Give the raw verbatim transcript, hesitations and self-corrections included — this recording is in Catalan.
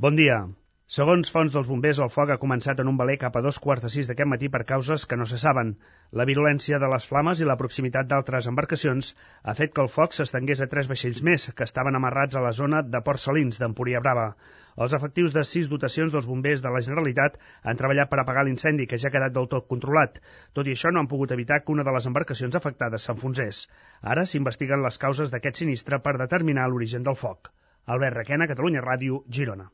Bon dia. Segons fonts dels bombers, el foc ha començat en un veler cap a dos quarts de sis d'aquest matí per causes que no se saben. La virulència de les flames i la proximitat d'altres embarcacions ha fet que el foc s'estengués a tres vaixells més, que estaven amarrats a la zona de Port Salins, d'Empúria Brava. Els efectius de sis dotacions dels bombers de la Generalitat han treballat per apagar l'incendi, que ja ha quedat del tot controlat. Tot i això, no han pogut evitar que una de les embarcacions afectades s'enfonsés. Ara s'investiguen les causes d'aquest sinistre per determinar l'origen del foc. Albert Requena, Catalunya Ràdio, Girona.